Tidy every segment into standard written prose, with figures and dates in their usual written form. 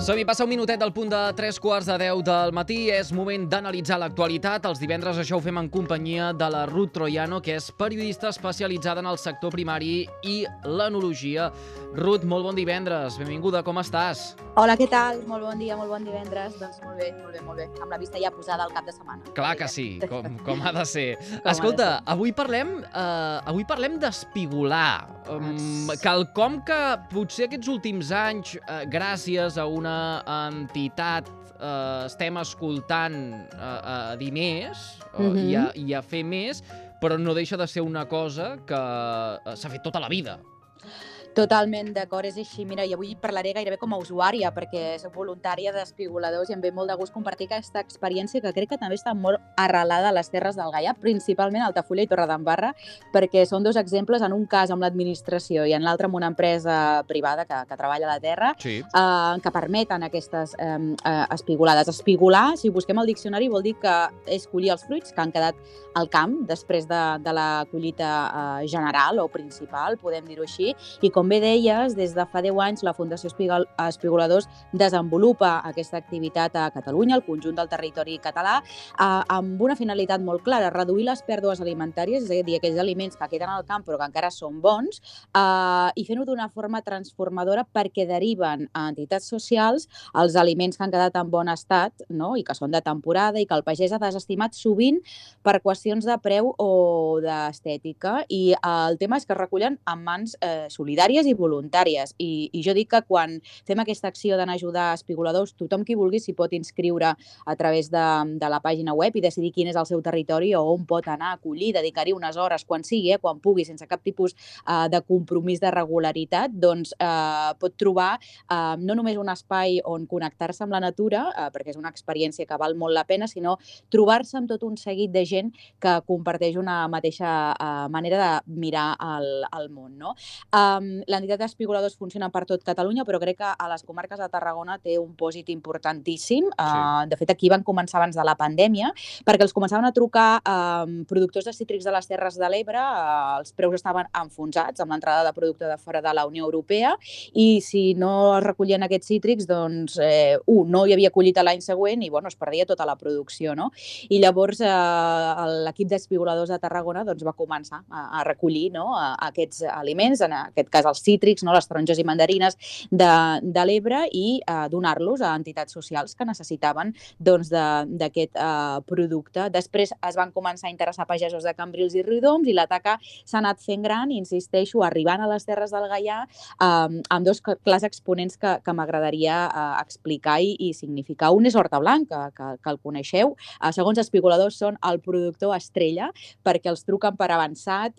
Som-hi, passa un minutet del punt de 3:15 del matí. És moment d'analitzar l'actualitat. Els divendres això ho fem en companyia de la Ruth Troiano, que és periodista especialitzada en el sector primari i l'enologia. Ruth, molt bon divendres. Benvinguda, com estàs? Hola, què tal? Molt bon dia, molt bon divendres. Doncs molt bé, molt bé, molt bé. Amb la vista ja posada al cap de setmana. Clar que sí, com ha de ser. Escolta, avui parlem d'espigolar. Quelcom que potser aquests últims anys, gràcies a una entitat, estem escoltant a dir més i a fer més, però no deixa de ser una cosa que s'ha fet tota la vida. Totalment d'acord, és així. Mira, i avui parlaré gairebé com a usuària, perquè soc voluntària d'espigoladors i em ve molt de gust compartir aquesta experiència que crec que també està molt arrelada a les Terres del Gaià, principalment a Altafulla i Torredembarra, perquè són dos exemples, en un cas amb l'administració i en l'altre amb una empresa privada que treballa a la terra, Sí. Que permeten aquestes espigolades. Espigolar, si busquem al diccionari, vol dir que és collir els fruits que han quedat al camp després de la collita general o principal, podem dir-ho així, i com bé deies, des de fa 10 anys la Fundació Espigoladors desenvolupa aquesta activitat a Catalunya, al conjunt del territori català, amb una finalitat molt clara, reduir les pèrdues alimentàries, és a dir, aquells aliments que queden al camp però que encara són bons, i fent-ho d'una forma transformadora perquè deriven a entitats socials els aliments que han quedat en bon estat, no? I que són de temporada i que el pagès ha desestimat sovint per qüestions de preu o d'estètica. I el tema és que es recullen en mans solidàries i voluntàries. I jo dic que quan fem aquesta acció d'anar a ajudar espigoladors, tothom qui vulgui s'hi pot inscriure a través de la pàgina web i decidir quin és el seu territori o on pot anar a acollir, dedicar-hi unes hores quan sigui, quan pugui, sense cap tipus de compromís de regularitat, doncs pot trobar no només un espai on connectar-se amb la natura, perquè és una experiència que val molt la pena, sinó trobar-se amb tot un seguit de gent que comparteix una mateixa manera de mirar el món, no? L'entitat d'espigoladors funciona per tot Catalunya, però crec que a les comarques de Tarragona té un pòsit importantíssim. Sí. De fet, aquí van començar abans de la pandèmia, perquè els començaven a trucar productors de cítrics de les Terres de l'Ebre, els preus estaven enfonsats amb l'entrada de producte de fora de la Unió Europea, i si no es recollien aquests cítrics, doncs, no hi havia collita l'any següent i es perdia tota la producció, no? I llavors l'equip d'espigoladors de Tarragona va començar a recollir aquests aliments, en aquest cas els cítrics, les taronges i mandarines de l'Ebre, i donar-los a entitats socials que necessitaven d'aquest producte. Després es van començar a interessar pagesos de Cambrils i Riudoms i la taca s'ha anat fent gran, insisteixo, arribant a les Terres del Gaià amb dos clars exponents que m'agradaria explicar i significar. Un és Horta Blanca, que el coneixeu. Segons espigoladors són el productor estrella perquè els truquen per avançat,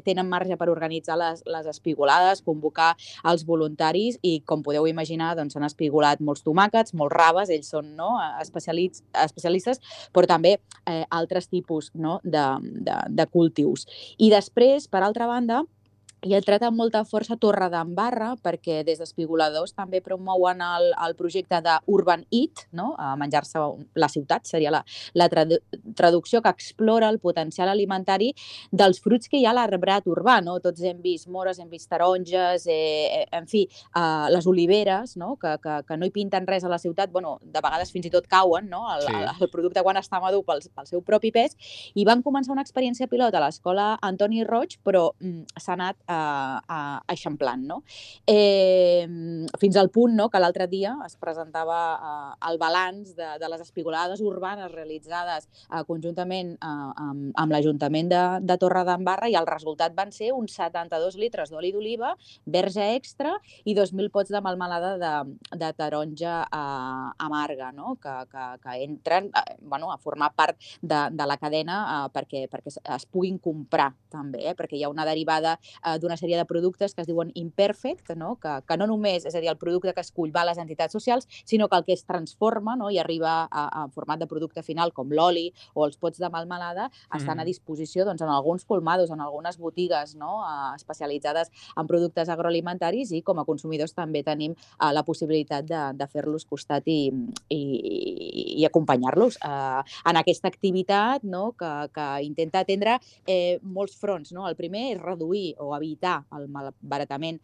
tenen marge per organitzar les espigolades, convocar els voluntaris i, com podeu imaginar, s'han espigolat molts tomàquets, molts raves, ells són especialistes, però també altres tipus de cultius. I després, per altra banda, i el tracta amb molta força Torredembarra, perquè des d'espigoladors també promouen el projecte d'Urban Eat, menjar-se la ciutat, seria la traducció, que explora el potencial alimentari dels fruits que hi ha a l'arbrat urbà. Tots hem vist mores, hem vist taronges, en fi, les oliveres, que no hi pinten res a la ciutat, de vegades fins i tot cauen, el producte quan està madur pel seu propi pes, i van començar una experiència pilot a l'escola Antoni Roig, però s'ha anat eixamplant, fins al punt que l'altre dia es presentava el balanç de les espigolades urbanes realitzades conjuntament amb l'Ajuntament de Torredembarra, i el resultat van ser uns 72 litres d'oli d'oliva, verge extra i 2.000 pots de melmelada de taronja amarga, que entren a formar part de la cadena perquè es puguin comprar també, perquè hi ha una derivada d'una sèrie de productes que es diuen imperfect, que no només, és a dir, el producte que escull va a les entitats socials, sinó que el que es transforma i arriba en format de producte final, com l'oli o els pots de melmelada, estan a disposició en alguns colmados, en algunes botigues especialitzades en productes agroalimentaris, i com a consumidors també tenim la possibilitat de fer-los costat i i acompanyar-los en aquesta activitat, no? que intenta atendre molts fronts. No? El primer és reduir o evitar el malbaratament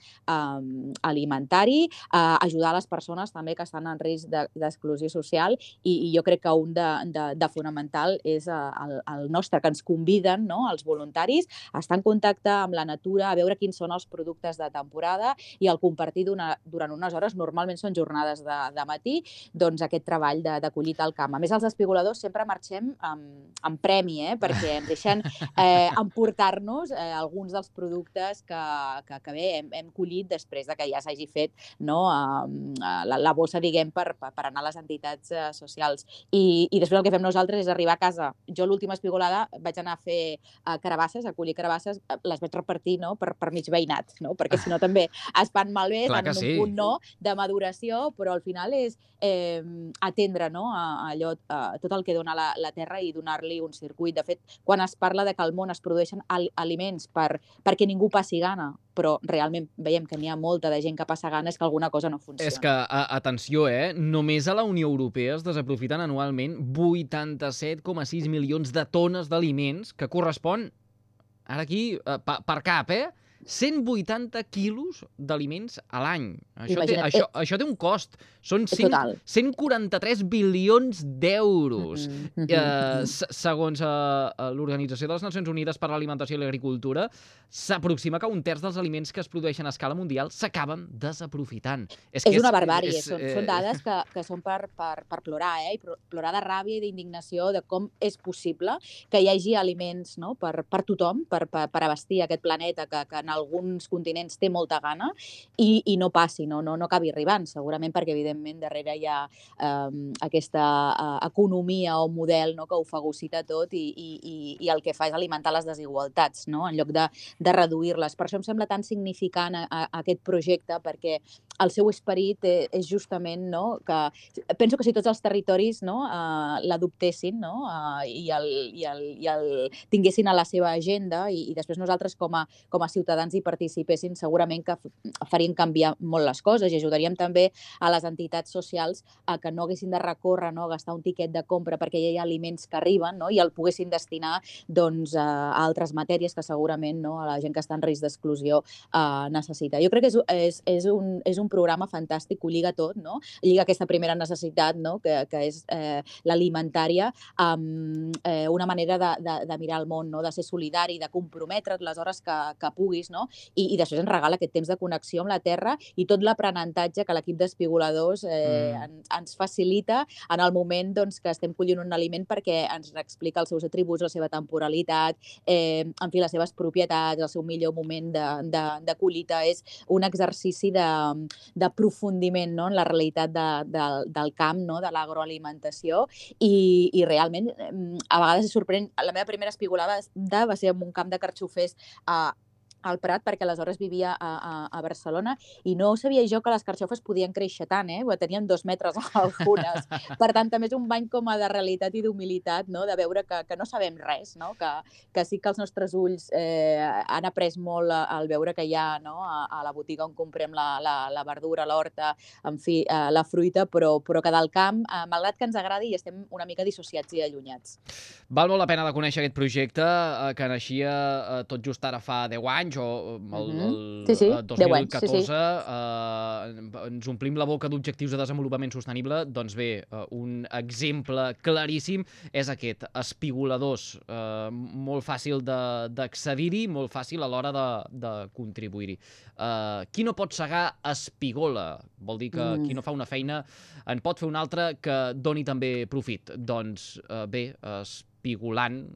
alimentari, ajudar les persones també que estan en risc d'exclusió social i jo crec que un de fonamental és el nostre, que ens conviden, no? Els voluntaris a estar en contacte amb la natura, a veure quins són els productes de temporada i al compartir durant unes hores, normalment són jornades de matí, doncs aquest treball de collita al camp. A més, els espigoladors sempre marxem amb premi, perquè ens deixen emportar-nos alguns dels productes que bé hem collit després de que ja s'hagi fet, no, la bossa, diguem, per anar a les entitats socials. I després el que fem nosaltres és arribar a casa. Jo l'última espigolada vaig anar a fer carabasses, a collir carabasses, les vaig repartir, no, per mig veïnat, no? Perquè si no també es fan malbé, estan en un punt, no, de maduració, però al final és atendre, no, allò, tot el que dona la terra i donar-li un circuit. De fet, quan es parla de que al món es produeixen aliments perquè ningú passi gana, però realment veiem que n'hi ha molta de gent que passa gana, és que alguna cosa no funciona. És que, atenció, només a la Unió Europea es desaprofiten anualment 87,6 milions de tones d'aliments, que correspon, ara aquí, per cap, 180 quilos d'aliments a l'any. Això té un cost. Són 143 bilions d'euros. Segons l'Organització de les Nacions Unides per a l'Alimentació i l'Agricultura, s'aproxima que un terç dels aliments que es produeixen a escala mundial s'acaben desaprofitant. És una barbàrie. Són dades que són per plorar, i plorar de ràbia i d'indignació de com és possible que hi hagi aliments, no, per tothom, per abastir aquest planeta que en alguns continents té molta gana i no passi, no acabi arribant, segurament perquè, evidentment, darrere hi ha aquesta economia o model, no, que ho fagocita tot i el que fa és alimentar les desigualtats, no, en lloc de reduir-les. Per això em sembla tan significant aquest projecte, perquè el seu esperit és justament, no, que penso que si tots els territoris, no, l'adoptessin, no, i el tinguessin a la seva agenda i després nosaltres com a ciutadans hi participessin, segurament que farien canviar molt les coses i ajudaríem també a les entitats socials a que no haguessin de recórrer, no, a gastar un tiquet de compra perquè hi ha aliments que arriben, no, i el poguessin destinar, doncs, a altres matèries que segurament, no, a la gent que està en risc d'exclusió necessita. Jo crec que és un programa fantàstic que ho lliga tot, no? Lliga aquesta primera necessitat, no, que és l'alimentària, amb una manera de mirar el món, no, de ser solidari, de comprometre't les hores que puguis, no? I després ens regala aquest temps de connexió amb la terra i tot l'aprenentatge que l'equip d'espigoladors ens facilita en el moment, doncs, que estem collint un aliment, perquè ens explica els seus atributs, la seva temporalitat, en fi, les seves propietats, el seu millor moment de collita. És un exercici d'aprofundiment, no, en la realitat del camp, no, de l'agroalimentació i realment a vegades és sorprenent. La meva primera espigolada va ser en un camp de carxofers al Prat, perquè aleshores vivia a Barcelona i no sabia jo que les carxofes podien créixer tant, tenien 2 metres algunes. Per tant, també és un bany com de realitat i d'humilitat, no? De veure que no sabem res, no? Que sí que els nostres ulls han après molt al veure que hi ha, no, a la botiga on comprem la verdura, l'horta, en fi, la fruita, però que del camp, malgrat que ens agradi, i estem una mica dissociats i allunyats. Val molt la pena de conèixer aquest projecte que naixia tot just ara fa 10 anys, o el 2014, ens omplim la boca d'objectius de desenvolupament sostenible. Doncs bé, un exemple claríssim és aquest, espigoladors. Molt fàcil d'accedir-hi, molt fàcil a l'hora de contribuir-hi. Qui no pot segar espigola? Vol dir que qui no fa una feina en pot fer una altra que doni també profit. Doncs bé, espigolant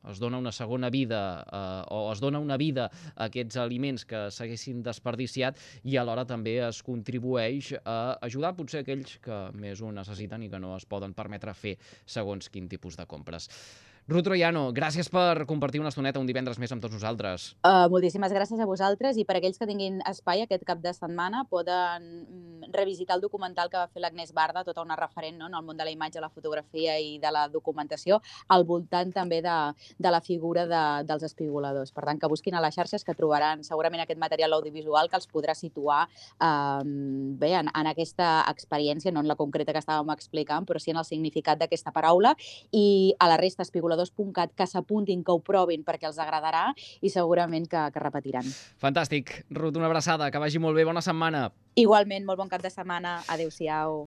es dona una segona vida o es dona una vida a aquests aliments que s'haguessin desperdiciat i alhora també es contribueix a ajudar potser aquells que més ho necessiten i que no es poden permetre fer segons quin tipus de compres. Ruth Troiano, gràcies per compartir una estoneta un divendres més amb tots nosaltres. Moltíssimes gràcies a vosaltres i per aquells que tinguin espai aquest cap de setmana poden revisitar el documental que va fer l'Agnès Barda, tota una referent, no?, en el món de la imatge, la fotografia i de la documentació, al voltant també de la figura dels espigoladors. Per tant, que busquin a les xarxes, que trobaran segurament aquest material audiovisual que els podrà situar bé en aquesta experiència, no en la concreta que estàvem explicant, però sí en el significat d'aquesta paraula, i a la resta, espigoladors.cat, que s'apuntin, que ho provin perquè els agradarà i segurament que repetiran. Fantàstic. Ruth, una abraçada, que vagi molt bé, bona setmana. Igualment, molt bon cap de setmana. Adéu-siau.